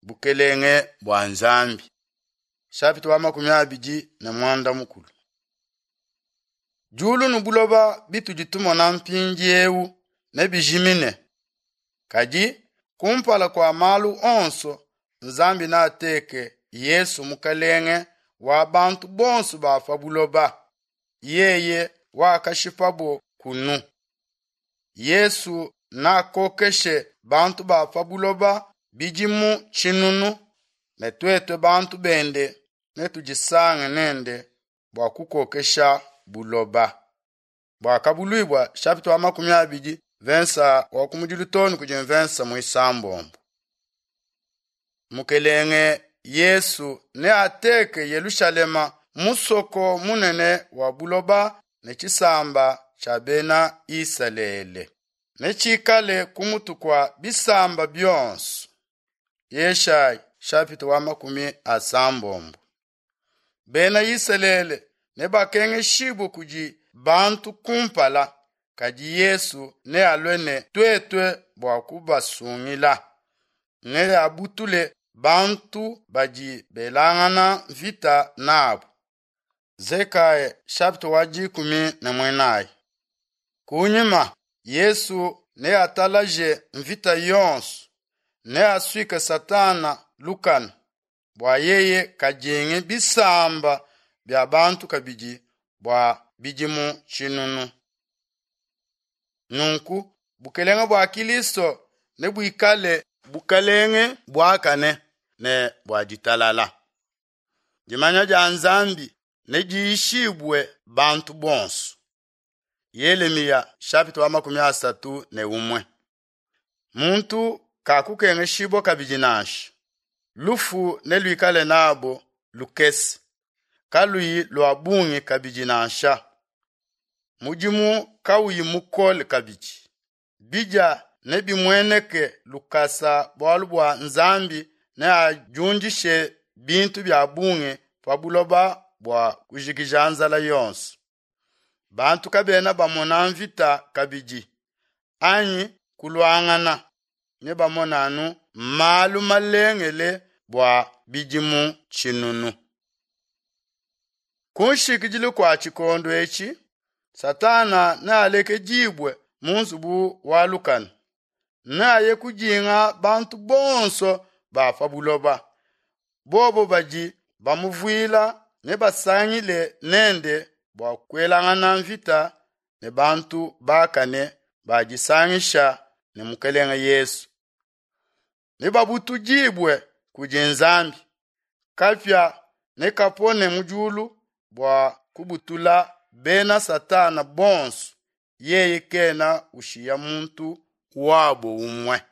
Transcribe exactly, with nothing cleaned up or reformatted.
Bukelenge bua Nzambi. Chapitre wa makumi abidi ne mwanda mukulu. Diulu ne buloba bitudi tumona mpindiewu nebijimine. Kadi kumpala kua malu onso Nzambi neateke Yesu mukalenge wa bantu bonso ba pa buloba. Yeye wakashipabo kunu. Yesu nakokeshe bantu ba pa buloba bidimu tshinunu ne tuetu bantu bende netudisange nende bua kukokesha buloba. Buakabuluibua chapitre wa makumi abidi vensa wa kumudilu tonu kudi mvensa muisambombo. Mukelenge Yesu neateke Yelushalema musoko munene wa buloba ne tshisamba tshia bena Isalele. Netshikale kumutu kua bisamba bionso. Yeshaya chapitre wa makumi asambombo. Bena Isalele nebakengeshibwe kudi bantu kumpala, kadi Yesu nealue ne tuetue bua kubasungila. Neabutule bantu badi belangana mvita nabo. Zekaya chapitre wa dikumi ne muinayi. Kunyima Yesu neatalaje mvita yonso, neasuike Satana lukanu bua yeye kadingi bisamba bia bantu kabidi bua bidimu tshinunu. Nunku bukelenge bua Kilisto nebuikale bukelenge buakane ne bua ditalala. Dimanya dia Nzambi nediyishibue bantu bonso. Yelemiya chapitre wa makumi asatu ne umwe. Muntu kakukengeshibwa kabidi nansha. Lufu neluikale nabo lukese, kaluyi lua bungi kabidi nansha. Mudimu kauyi mukole kabidi. Bidia nebimueneke lukasa bualu bua Nzambi neadiundishe bintu bia bungi pa buloba bua kujikija nzala yonso. Bantu kabena bamona mvita kabidi anyi kuluangana, nebamona anu malu malengele bua bidimu tshinunu. Ku nshikidilu kua tshikondo etshi, Satana nealekedibue mu nzubu wa lukanu. Neaye kudinga bantu bonso ba pa buloba. Bobo badi bamuvuila nebasangile nende bua kuelangana mvita ne bantu bakane badisangisha ne Mukelenge Yesu. Nebabutudibue kudi Nzambi. Kapia nekapone mu diulu bua kubutula bena Satana bonso, yeye kena ushiya muntu wabo umwe.